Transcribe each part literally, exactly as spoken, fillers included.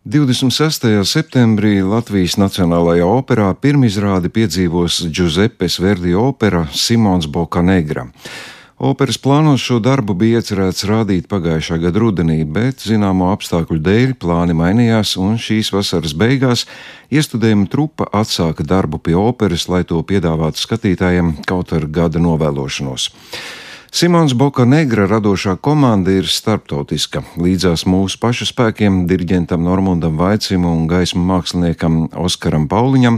divdesmit sestajā septembrī Latvijas Nacionālajā operā pirmizrādi piedzīvos Giuseppes Verdi opera Simons Boccanegra. Operas plānos šo darbu bija iecerēts rādīt pagājušā gada rudenī, bet zināmo apstākļu dēļ plāni mainījās, un šīs vasaras beigās iestudējuma trupa atsāka darbu pie operas, lai to piedāvātu skatītājiem kaut ar gada novēlošanos. Simons Boccanegra radošā komanda ir starptautiska. Līdzās mūsu pašu spēkiem, diriģentam Normundam Vaicim un gaismu māksliniekam Oskaram Pauliņam,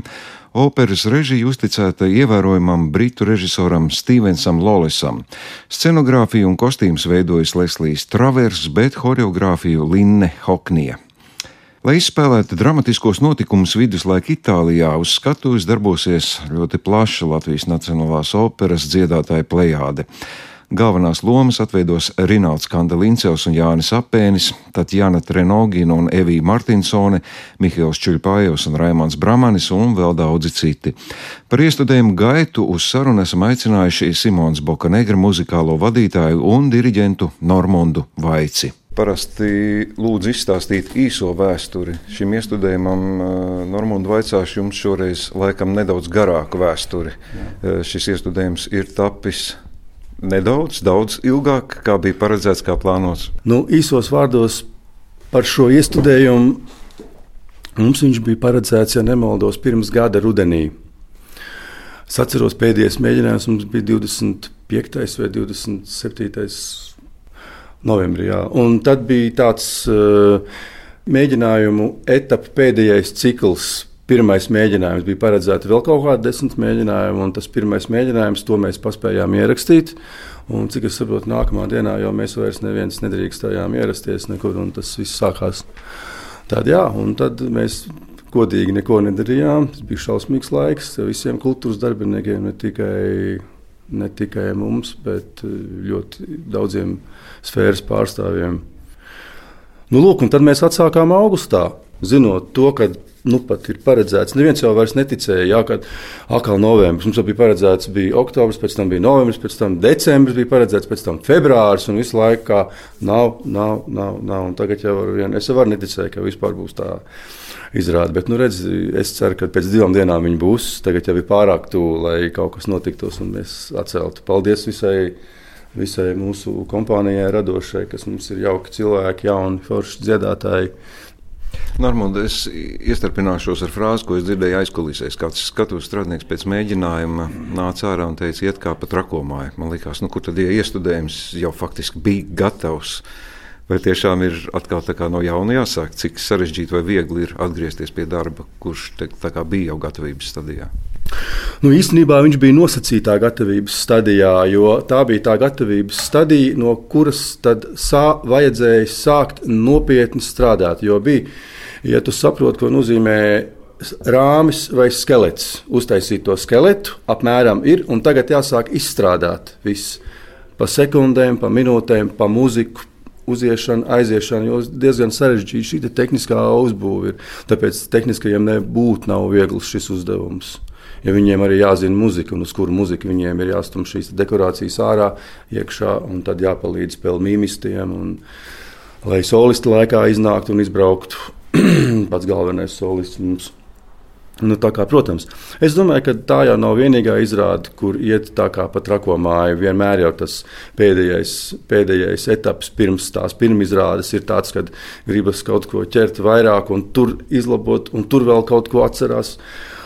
operas režija uzticēta ievērojamam britu režisoram Stevensam Lawlessam. Scenogrāfiju un kostīmus veidojas Leslijs Travers, bet horeogrāfiju Linne Hoknija. Lai izspēlētu dramatiskos notikumus viduslaika Itālijā, uz skatuves darbosies ļoti plaša Latvijas Nacionālās operas dziedātāja plejāde. Galvenās lomas atveidos Rinalds Kandelincevs un Jānis Apēnis, Tatjana Trenogina un Evija Martinsone, Mihails Čuļpājevs un Raimonds Bramanis un vēl daudzi citi. Par iestudējumu gaitu uz sarunu esam aicinājuši Simons Boccanegra muzikālo vadītāju un diriģentu Normundu Vaici. Parasti lūdzu izstāstīt īso vēsturi šim iestudējumam. Normundu vaicāšu jums šoreiz laikam nedaudz garāku vēsturi. Jā. Šis iestudējums ir tapis nedaudz, daudz ilgāk, kā bija paredzēts, kā plānots. Nu, īsos vārdos par šo iestudējumu mums viņš bija paredzēts, ja nemaldos, pirms gada rudenī. Es atceros, pēdējais mēģinājums mums bija divdesmit piektais vai divdesmit septītais novembrī. Jā. Un tad bija tāds uh, mēģinājumu etapu pēdējais cikls. Pirmais mēģinājums bija paredzēts vēl kaut kādi desmit mēģinājumi, un tas pirmais mēģinājums, to mēs paspējām ierakstīt. Un, cik es saprotu, nākamā dienā jau mēs vairs neviens nedrīkstējām ierasties nekur, un tas viss sākās. Tad, jā, un tad mēs godīgi neko nedarījām. Tas bija šausmīgs laiks visiem kultūras darbiniekiem, ne tikai, ne tikai mums, bet ļoti daudziem sfēras pārstāvjiem. Nu, lūk, un tad mēs atsākām augustā, zinot to, ka nu pat ir paredzēts. Neviens jau vairs neticēja, jā, kad atkal novembris. Mums jau bija paredzēts, bija oktobris, pēc tam bija novembris, pēc tam decembris bija paredzēts, pēc tam februāris, un visu laiku kā nav, nav, nav, nav. Un tagad jau ar vienu, es jau varu neticēju, ka vispār būs tā izrāde. Bet, nu redz, es ceru, ka pēc divām dienām viņi būs. Tagad jau ir pārāk tuvu, lai kaut kas notiktos un mēs atceltu. Paldies visai, visai mūsu kompānijai radošai, kas mums ir jauki cilvēki, jauni, forši dziedātāji. Normunda, es iestarpināšos ar frāzi, ko es dzirdēju aizkulisēs. Kāds skatuves strādnieks pēc mēģinājuma nāca ārā un teica, iet kā pa trakomāju. Man likās, nu kur tad ja iestudējums jau faktiski bija gatavs. Vai tiešām ir atkal tā kā no jauna jāsāk, cik sarežģīti vai viegli ir atgriezties pie darba, kurš te, tā kā bija jau gatavības stadijā? Nu, īstenībā viņš bija nosacītā gatavības stadijā, jo tā bija tā gatavības stadija, no kuras tad sā, vajadzēja sākt nopietni strādāt. Jo bija, ja tu saproti, ko nozīmē rāmis vai skelets, uztaisīt to skeletu, apmēram ir, un tagad jāsāk izstrādāt viss pa sekundēm, pa minūtēm, pa muziku, uziešana, aiziešana, jo diezgan sarežģīta šī te tehniskā uzbūve ir. Tāpēc tehniskajiem nebūtu nav viegls šis uzdevums. Ja viņiem arī jāzina muzika, un uz kuru muziku viņiem ir jāstum šīs dekorācijas ārā, iekšā, un tad jāpalīdz spēl mīmistiem, un lai solisti laikā iznāktu un izbrauktu. Pats galvenais solists mums. Nu, tā kā, protams, es domāju, ka tā jau nav vienīgā izrāde, kur iet tā kā pa trakomāju. Vienmēr jau tas pēdējais, pēdējais etaps pirms tās pirmizrādes ir tāds, kad gribas kaut ko ķert vairāk un tur izlabot, un tur vēl kaut ko atcerās.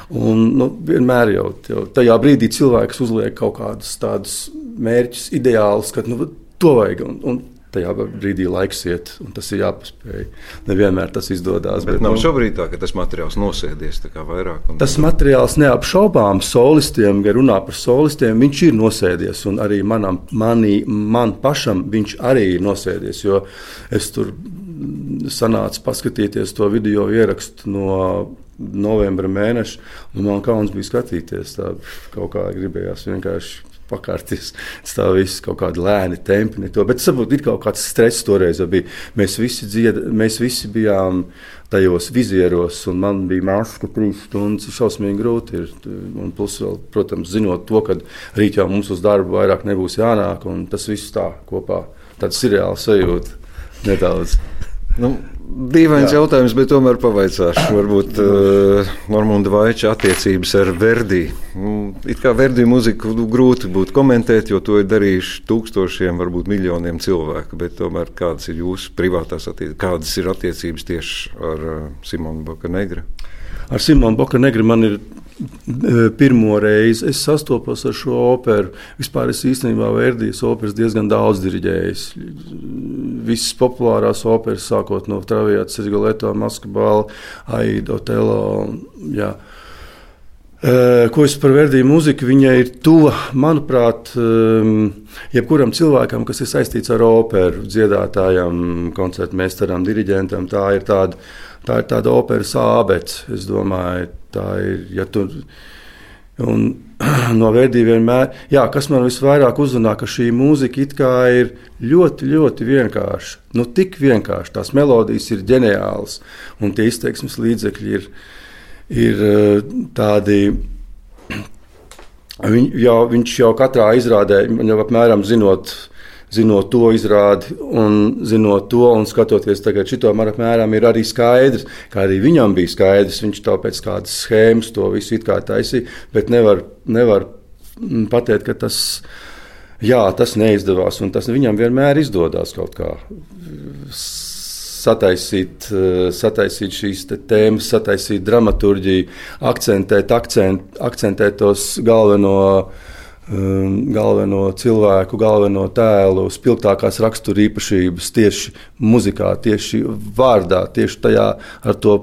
Un, nu, vienmēr jau, jau tajā brīdī cilvēks uzliek kaut kādus tādus mērķus, ideālus, ka nu, to vajag. Un, un tajā brīdī laiks iet, un tas ir jāpaspēj. Nevienmēr tas izdodas. Bet, bet nav nu, šobrīd tā, ka tas materiāls nosēdies tā kā vairāk. Un... Tas materiāls neapšaubām solistiem, ja runā par solistiem, viņš ir nosēdies, un arī manam, manī, man pašam viņš arī ir nosēdies, jo es tur sanācu paskatīties to video ierakstu no novembra mēneša, un man kauns bija skatīties, tā kaut kā gribējās vienkārši pakārties, tā viss kaut kādi lēni tempi, ne to, bet saprot, ir kaut kāds stress toreiz bija. Mēs visi, dzied, mēs visi bijām tajos vizieros, un man bija maska trīs stundas, šausmīgi grūti ir, un plus vēl, protams, zinot to, ka rīt jau mums uz darbu vairāk nebūs jānāk, un tas viss tā kopā, tāds seriāls sajūta nedaudz. Nu, Dīvains Jā. jautājums, bet tomēr pavaicāšu. Varbūt uh, Normunda Vaiča attiecības ar Verdi. It kā Verdi muziku grūti būtu komentēt, jo to ir darījuši tūkstošiem, varbūt miljoniem cilvēku. Bet tomēr kādas ir jūsu privātās attiecības, kādas ir attiecības tieši ar uh, Simonu Bokanegru? Ar Simonu Bokanegru man ir pirmo reizi es sastopos ar šo operu. Vispār es īstenībā Verdijas operas diezgan daudz diriģējis. Visas populārās operas, sākot no Traviatas, Rigoletto, Maskabala, Aida, Otello. Jā. Ko es par Verdiju muziku? Viņa ir tuva, manuprāt, jebkuram cilvēkam, kas ir saistīts ar operu, dziedātājam, koncertmeistaram, diriģentam. Tā ir tāda, tā ir tāda operas ābece, es domāju. Tā ir, ja tu, un no Verdi vienmēr, jā, kas man visvairāk uzrunā, ka šī mūzika it kā ir ļoti, ļoti vienkārša. Nu, tik vienkārši, tās melodijas ir ģeniālas, un tie izteiksmes līdzekļi ir, ir tādi, viņ, jau, viņš jau katrā izrādē, jau apmēram zinot, zinot to izrādi un zinot to un skatoties tagad šito, man apmēram ir arī skaidrs, kā arī viņam bija skaidrs, viņš to pēc kādas schēmas to visu it kā taisīja, bet nevar, nevar pateikt, ka tas, jā, tas neizdevās un tas viņam vienmēr izdodās kaut kā sataisīt, sataisīt šīs te tēmas, sataisīt dramaturģiju, akcentēt, akcent, akcentēt tos galveno galveno cilvēku, galveno tēlu, spilgtākās rakstura īpašības tieši muzikā, tieši vārdā, tieši tajā ar to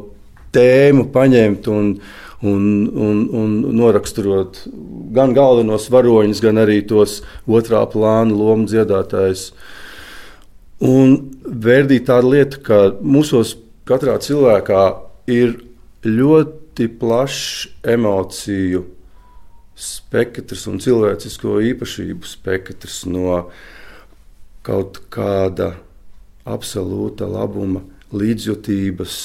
tēmu paņemt un, un, un, un noraksturot gan galvenos varoņus, gan arī tos otrā plāna lomu dziedātājus. Un Verdi tāda lieta, ka mūsos katrā cilvēkā ir ļoti plašs emociju spektrs un cilvēcisko īpašību spektrs no kaut kāda absolūta labuma, līdzjūtības,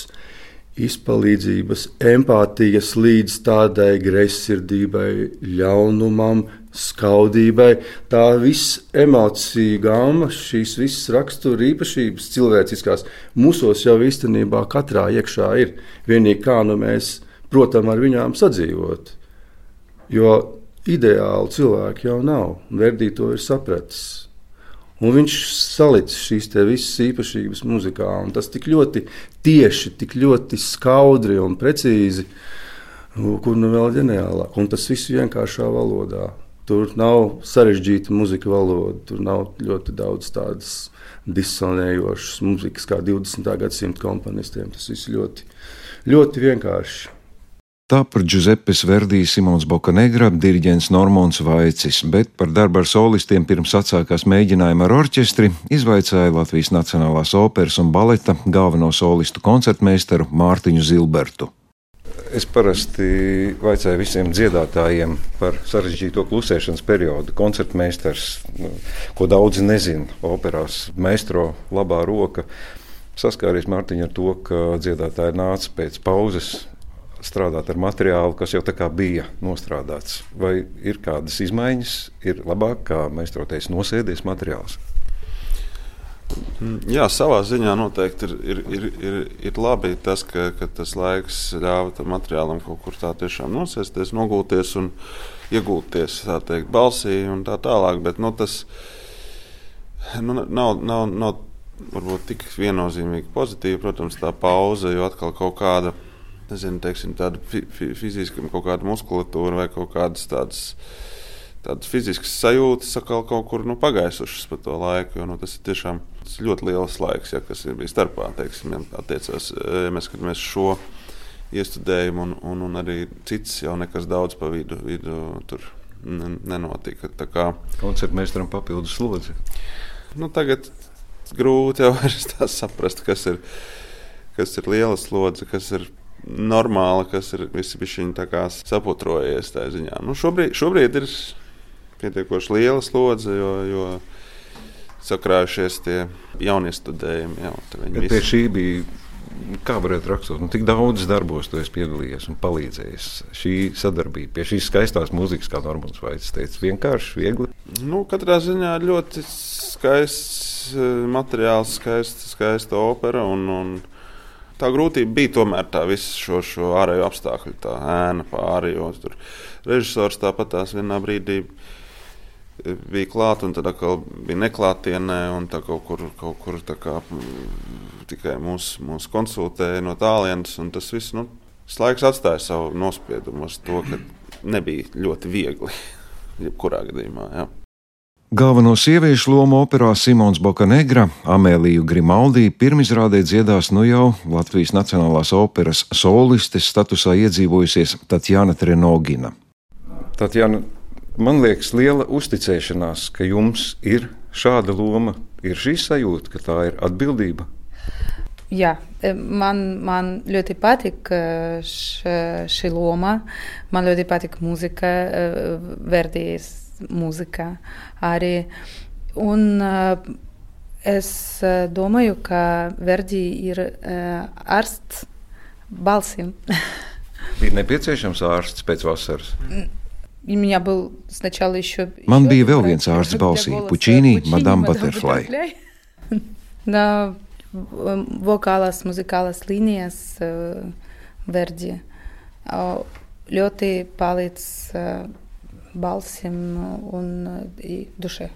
izpalīdzības, empātijas līdz tādai greizsirdībai, ļaunumam, skaudībai. Tā viss emociju gama, šīs visas rakstura īpašības cilvēciskās mūsos jau īstenībā katrā iekšā ir. Vienīgi kā nu mēs, protams, ar viņām sadzīvot. Jo ideāli cilvēki jau nav, un Verdi to ir sapratis. Un viņš salicis šīs te visas īpašības muzikā, un tas tik ļoti tieši, tik ļoti skaudri un precīzi, kur nu vēl ģeniālāk. Un tas viss vienkāršā valodā. Tur nav sarežģīta muzika valoda, tur nav ļoti daudz tādas disonējošas muzikas kā divdesmitā gadsimta komponistiem. Tas viss ļoti, ļoti vienkārši. Tā par Giuseppes Verdi Simons Bokanegru, diriģents Normons Vaicis, bet par darbu ar solistiem pirms atsākās mēģinājumi ar orķestri izvaicāja Latvijas Nacionālās operas un baleta galveno solistu koncertmeistaru Mārtiņu Zilbertu. Es parasti vaicāju visiem dziedātājiem par sarežģīto klusēšanas periodu. Koncertmeistars, ko daudzi nezina, operās meistro labā roka, saskāries Mārtiņa ar to, ka dziedātāji nāca pēc pauzes strādāt ar materiālu, kas jau tā kā bija nostrādāts. Vai ir kādas izmaiņas, ir labāk, kā meistroties nosēdies materiāls? Jā, savā ziņā noteikti ir, ir, ir, ir, ir labi tas, ka, ka tas laiks ļāva tam materiālam kaut kur tā tiešām nosēsties, nogulties un iegulties, tā teikt, balsī un tā tālāk, bet nu, tas nu, nav, nav, nav varbūt tik viennozīmīgi pozitīvi, protams, tā pauze, jo atkal kaut kāda nezinu, teiksim, tāda fi, fi, fiziska kaut kāda muskulatūra vai kaut kādas tādas, tādas fiziskas sajūtas atkal kaut kur nu, pagaisušas pa to laiku, jo nu, tas ir tiešām tas ļoti liels laiks, ja, kas ir bijis starpā, teiksim, ja, attiecās, ja mēs skatāmies šo iestudējumu un, un, un arī cits jau nekas daudz pa vidu, vidu tur nenotika. Tā kā koncertmeistaram papildus slodzi. Nu, tagad grūti jau tā saprast, kas ir, kas ir liela slodze, kas ir normāli, kas ir visi bišķiņi tā kā saputrojies tā ziņā. Nu, šobrīd, šobrīd ir pietiekoši liela slodze, jo, jo sakrājušies tie jaunie studējumi. Jā, bet pie šī bija, kā varētu rakstot, nu, tik daudz darbos tu esi piedalījies un palīdzējis. Šī sadarbība pie šīs skaistās mūzikas, kā Normons Vaicis teica, vienkārši, viegli? Nu, katrā ziņā ļoti skaists materiāls, skaista, skaista opera un, un tā grūtība bija tomēr tā visu šo, šo ārējo apstākļu, tā ēna pāri, jo tur režisors tāpat tās vienā brīdī bija klāt, un tad atkal bija neklātienē, un tā kaut kur, kaut kur tā kā tikai mūs, mūs konsultēja no tālienes, un tas viss, nu, tas laiks atstāja savu nospiedumu uz to, ka nebija ļoti viegli, jebkurā gadījumā, jā. Galveno sieviešu lomu operā Simons Bokanegra Amēliju Grimaldi pirmizrādē dziedās nu jau Latvijas Nacionālās operas solistes statusā iedzīvojusies Tatjana Trenogina. Tatjana, man liekas, liela uzticēšanās, ka jums ir šāda loma, ir šī sajūta, ka tā ir atbildība. Jā, man, man ļoti patīk šī loma, man ļoti patīk mūzika, Verdijas mūzika arī. Un uh, es domāju, ka Verdi ir uh, ārsts balsīm. Ir nepieciešams ārsts pēc vasaras? Man bija vēl viens ārsts balsī, Pučīni, Madame Butterfly. Da, vokālās, muzikālās līnijas uh, Verdi uh, ļoti palīdz uh, balsim un dušē.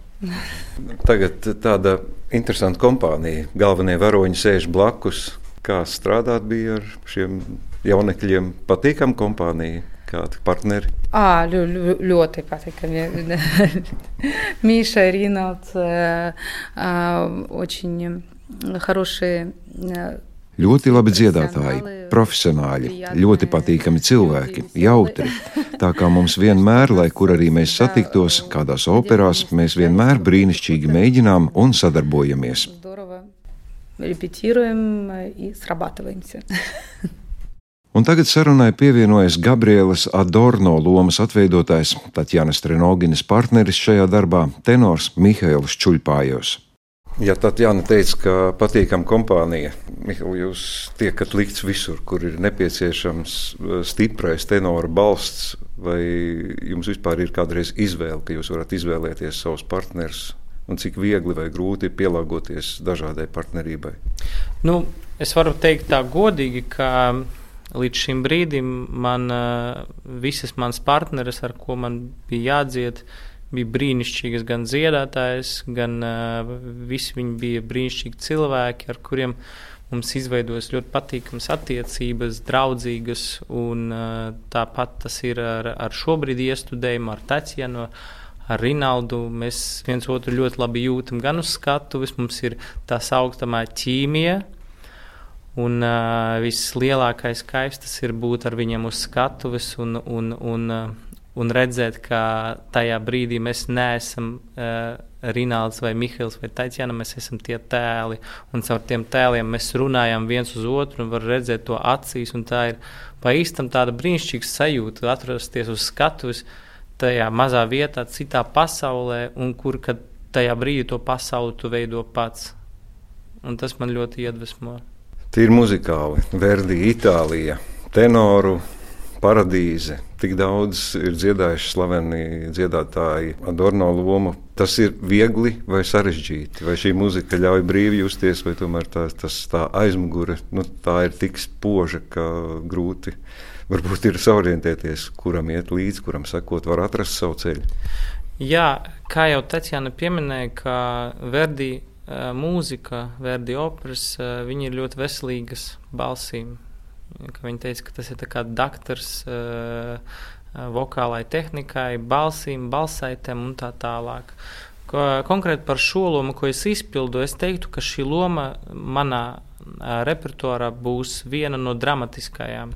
Tagad tāda interesanta kompānija. Galvenie varoņi sēž blakus. Kā strādāt bija ar šiem jaunekļiem? Patīkam kompānija? Kādi partneri? À, ļo, ļoti patīkami. Миша, Ринальд, очень хорошие. Ļoti labi dziedātāji, profesionāļi, ļoti patīkami cilvēki, jautri. Tā kā mums vienmēr, lai kur arī mēs satiktos, kādās operās, mēs vienmēr brīnišķīgi mēģinām un sadarbojamies. Un tagad sarunai pievienojas Gabrielas Adorno lomas atveidotājs, Tatjanas Trenoginas partneris šajā darbā, tenors Mihails Čuļpājos. Ja Tatjana teica, ka patīkam kompānija, Mihail, jūs tiekat likts visur, kur ir nepieciešams stiprais tenora balsts, vai jums vispār ir kādreiz izvēle, ka jūs varat izvēlēties savus partnerus, un cik viegli vai grūti ir pielāgoties dažādai partnerībai? Nu, es varu teikt tā godīgi, ka līdz šim brīdim man visas manas partneres, ar ko man bija jādzied, bija brīnišķīgas gan dziedātājas, gan uh, visi viņi bija brīnišķīgi cilvēki, ar kuriem mums izveidojas ļoti patīkamas attiecības, draudzīgas, un uh, tāpat tas ir ar, ar šobrīd iestudējumu, ar Tatjanu, ar Rinaldu. Mēs viens otru ļoti labi jūtam gan uz skatuves, mums ir tā saukstamā ķīmija, un uh, vislielākais kaifs tas ir būt ar viņiem uz skatuves un, un, un uh, un redzēt, ka tajā brīdī mēs neesam uh, Rinalds vai Mihails vai Tatjana, mēs esam tie tēli, un caur tiem tēliem mēs runājam viens uz otru un var redzēt to acīs, un tā ir pa īstam tāda brīnišķīga sajūta atrasties uz skatuves tajā mazā vietā, citā pasaulē, un kur, kad tajā brīdī to pasauli tu veido pats. Un tas man ļoti iedvesmo. Tīri muzikāli, Verdi, Itālija, tenoru, paradīze, tik daudz ir dziedājuši slaveni dziedātāji Adorno lomu. Tas ir viegli vai sarežģīti? Vai šī muzika ļauj brīvi justies, vai tomēr tā, tas, tā aizmugure, nu, tā ir tik spoža, ka grūti varbūt ir saorientēties, kuram iet līdzi, kuram sekot, var atrast savu ceļu? Jā, kā jau Tatjana pieminēja, ka Verdi uh, mūzika, Verdi operas, uh, viņi ir ļoti veselīgas balsīm. Viņa teica, ka tas ir tā kā daktars uh, vokālai tehnikai, balsīm, balsaitēm un tā tālāk. Ko, konkrēti par šo lomu, ko es izpildu, es teiktu, ka šī loma manā uh, repertuārā būs viena no dramatiskajām.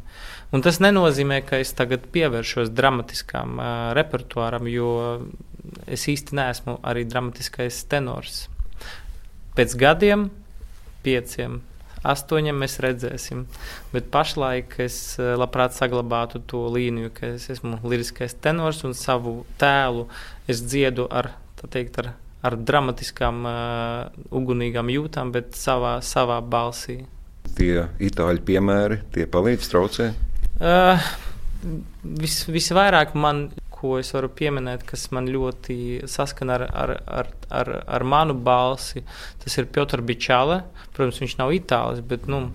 Un tas nenozīmē, ka es tagad pievēršos dramatiskām uh, repertuāram, jo es īsti neesmu arī dramatiskais tenors. Pēc gadiem, pieciem, astoņiem mēs redzēsim, bet pašlaik es labprāt saglabātu to līniju, ka es esmu liriskais tenors un savu tēlu es dziedu ar, tā teikt, ar, ar dramatiskām, uh, ugunīgām jūtām, bet savā, savā balsī. Tie itāļu piemēri, tie palīdz, traucē? Uh, vis, visvairāk man, ko es varu pieminēt, kas man ļoti saskana ar, ar, ar, ar, ar manu balsi, tas ir Piotr Bičale. Protams, viņš nav itālis, bet, nu,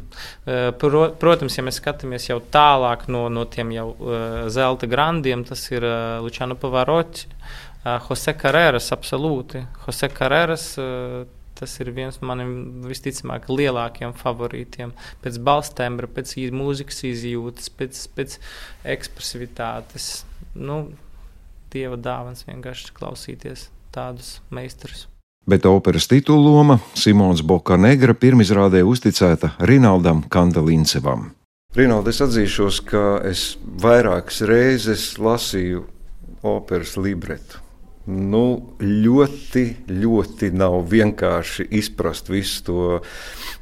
pro, protams, ja mēs skatāmies jau tālāk no, no tiem jau uh, zelta grandiem, tas ir uh, Luciano Pavarotti, uh, Jose Carreras, absolūti. Jose Carreras, uh, tas ir viens no maniem visticamāk lielākiem favorītiem. Pēc balstembra, pēc mūzikas izjūtas, pēc, pēc ekspresivitātes. Nu, Dieva dāvans vienkārši klausīties tādus meistarus. Bet operas titulloma Simons Bokanegra pirmizrādē uzticēta Rinaldam Kandelincevam. Rinaldi, es atzīšos, ka es vairākas reizes lasīju operas libretu. Nu, ļoti, ļoti nav vienkārši izprast visu to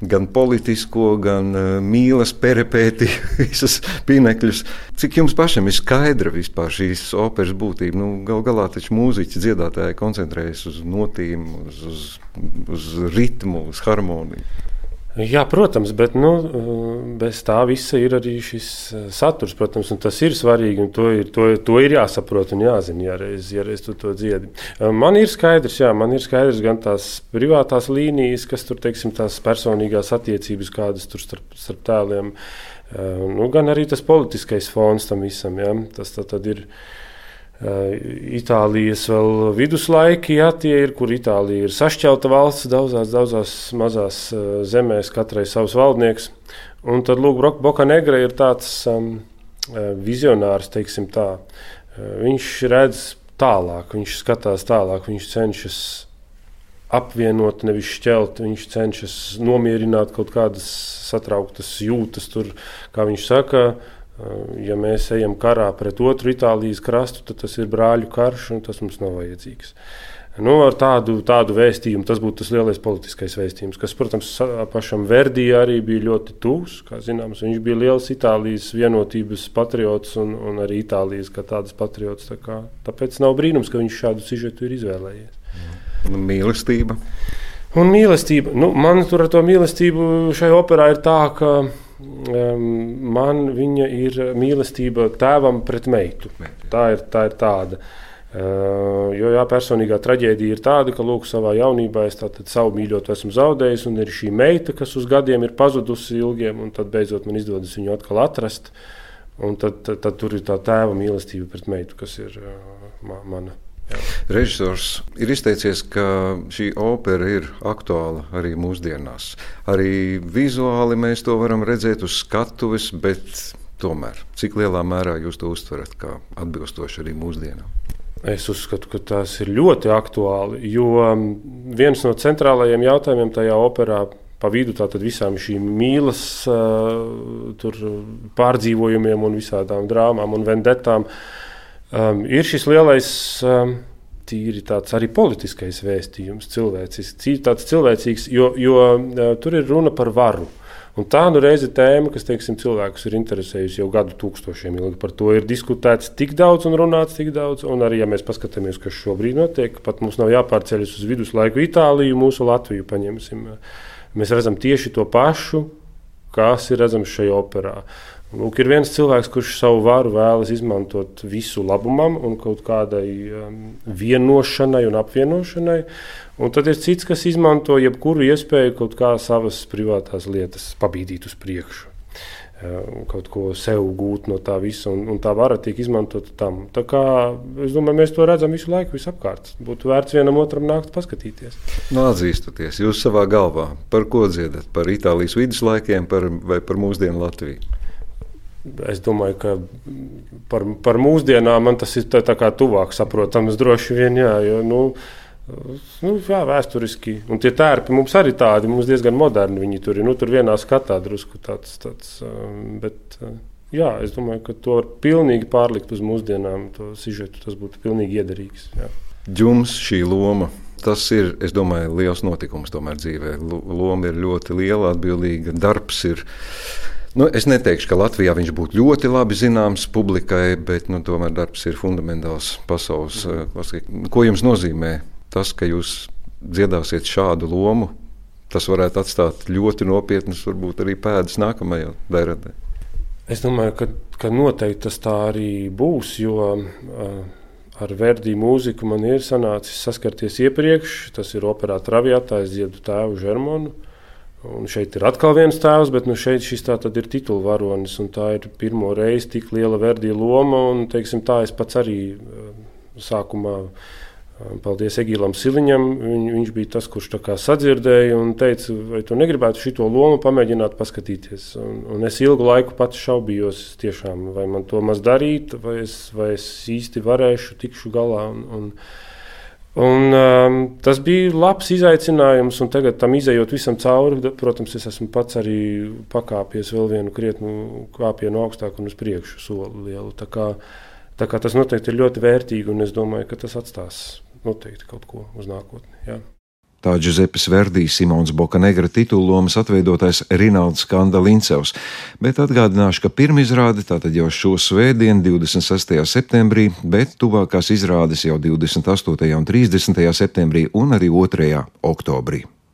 gan politisko, gan uh, mīlas peripēti, visas pinekļus. Cik jums pašam ir skaidra vispār šīs operas būtība? Nu, gal galā taču mūziķi, dziedātāji koncentrējas uz notīm, uz, uz, uz ritmu, uz harmoniju. Jā, protams, bet nu, bez tā visa ir arī šis saturs, protams, un tas ir svarīgi, un to ir, to, to ir jāsaprot un jāzina, ja reiz, ja reiz tu to dziedi. Man ir skaidrs, jā, man ir skaidrs gan tās privātās līnijas, kas tur, teiksim, tās personīgās attiecības, kādas tur starp, starp tēliem, nu, gan arī tas politiskais fons tam visam, jā, tas tā tad ir Itālijas vēl viduslaiki, jā, tie ir, kur Itālija ir sašķelta valsts daudzās, daudzās mazās zemēs, katrai savs valdnieks. Un tad, lūk, Bokanegra ir tāds um, vizionārs, teiksim tā. Viņš redz tālāk, viņš skatās tālāk, viņš cenšas apvienot, nevis šķelt, viņš cenšas nomierināt kaut kādas satrauktas jūtas tur, kā viņš saka. Ja mēs ejam karā pret otru Itālijas krastu, tad tas ir brāļu karš, un tas mums nav vajadzīgs. Nu, ar tādu, tādu vēstījumu tas būtu tas lielais politiskais vēstījums, kas, protams, pašam Verdi arī bija ļoti tuvs, kā zināms. Viņš bija liels Itālijas vienotības patriots un, un arī Itālijas kā tādas patriots. Tā kā, tāpēc nav brīnums, ka viņš šādu sižetu ir izvēlējies. Un mīlestība? Un mīlestība. Nu, man tur ar to mīlestību šai operā ir tā, ka man viņa ir mīlestība tēvam pret meitu. Tā ir, tā ir tāda. Uh, jo jā, personīgā traģēdija ir tāda, ka lūk, savā jaunībā es tātad savu mīļotu esmu zaudējis, un ir šī meita, kas uz gadiem ir pazudusi ilgiem, un tad beidzot man izdodas viņu atkal atrast. Un tad, tad, tad tur ir tā tēva mīlestība pret meitu, kas ir uh, ma, mana. Jā. Režisors ir izteicies, ka šī opera ir aktuāla arī mūsdienās. Arī vizuāli mēs to varam redzēt uz skatuves, bet tomēr, cik lielā mērā jūs to uztverat kā atbilstoši arī mūsdienām? Es uzskatu, ka tas ir ļoti aktuāli, jo viens no centrālajiem jautājumiem tajā operā pa vidu tātad visām šīm mīlas uh, tur pārdzīvojumiem un visādām drāmām un vendetām Um, ir šis lielais, um, tīri tāds arī politiskais vēstījums, cilvēcisks, tāds cilvēcīgs, jo, jo uh, tur ir runa par varu. Un tā nu reize tēma, kas, teiksim, cilvēkus ir interesējusi jau gadu tūkstošiem ilgi. Par to ir diskutēts tik daudz un runāts tik daudz. Un arī, ja mēs paskatāmies, kas šobrīd notiek, pat mums nav jāpārceļas uz viduslaiku Itāliju, mūsu Latviju paņemsim. Mēs redzam tieši to pašu, kas ir redzams šajā operā. Lūk, ir viens cilvēks, kurš savu varu vēlas izmantot visu labumam un kaut kādai um, vienošanai un apvienošanai. Un tad ir cits, kas izmanto jebkuru iespēju kaut kā savas privātās lietas pabīdīt uz priekšu. Um, kaut ko sev gūt no tā visa, un, un tā vara tiek izmantota tam. Tā kā, es domāju, mēs to redzam visu laiku visapkārt. Būtu vērts vienam otram nākt paskatīties. Nu, atzīstoties, jūs savā galvā par ko dziedat? Par Itālijas viduslaikiem par, vai par mūsdienu Latviju? Es domāju, ka par, par mūsdienām man tas ir tā, tā kā tuvāk saprotams droši vien, jā, jo, nu, nu, jā, vēsturiski. Un tie tērpi mums arī tādi, mums diezgan moderni viņi tur ir, nu, tur vienā skatā drusku tāds, tāds, bet, jā, es domāju, ka to var pilnīgi pārlikt uz mūsdienām, to sižetu, tas būtu pilnīgi iederīgs, jā. Jums šī loma, tas ir, es domāju, liels notikums tomēr dzīvē. Loma ir ļoti liela, atbildīga, darbs ir. Nu, es neteikšu, ka Latvijā viņš būtu ļoti labi zināms publikai, bet nu, tomēr darbs ir fundamentāls pasaules klasikai. Ko jums nozīmē tas, ka jūs dziedāsiet šādu lomu? Tas varētu atstāt ļoti nopietnas, varbūt arī pēdas nākamajā dēradē. Es domāju, ka, ka noteikti tas tā arī būs, jo uh, ar Verdi mūziku man ir sanācis saskarties iepriekš. Tas ir operā Traviatā, es dziedu tēvu Žermonu. Un šeit ir atkal viens tēvs, bet nu šeit šis tā tad ir titulvaronis, un tā ir pirmo reizi tik liela Verdi loma, un, teiksim, tā es pats arī sākumā, paldies Egīlam Siliņam, Viņ, viņš bija tas, kurš tā kā sadzirdēja un teica, vai tu negribētu šito lomu pamēģināt paskatīties. Un, un es ilgu laiku pats šaubījos tiešām, vai man to maz darīt, vai es, vai es īsti varēšu, tikšu galā. Un, un, Un, um, tas bija labs izaicinājums, un tagad tam izejot visam cauri, protams, es esmu pats arī pakāpies vēl vienu krietnu kāpienu augstāk un uz priekšu soli lielu. Tā kā, tā kā tas noteikti ir ļoti vērtīgi, un es domāju, ka tas atstās noteikti kaut ko uz nākotni. Jā. Tā Giuseppes Verdi, Simons Bokanegra titullomas atveidotais Rinalds Kanda Lincevs, bet atgādināšu, ka pirmizrāde tātad jau šo svētdienu, divdesmit sestajā septembrī, bet tuvākās izrādes jau divdesmit astotajā un trīsdesmitajā septembrī un arī otrajā oktobrī.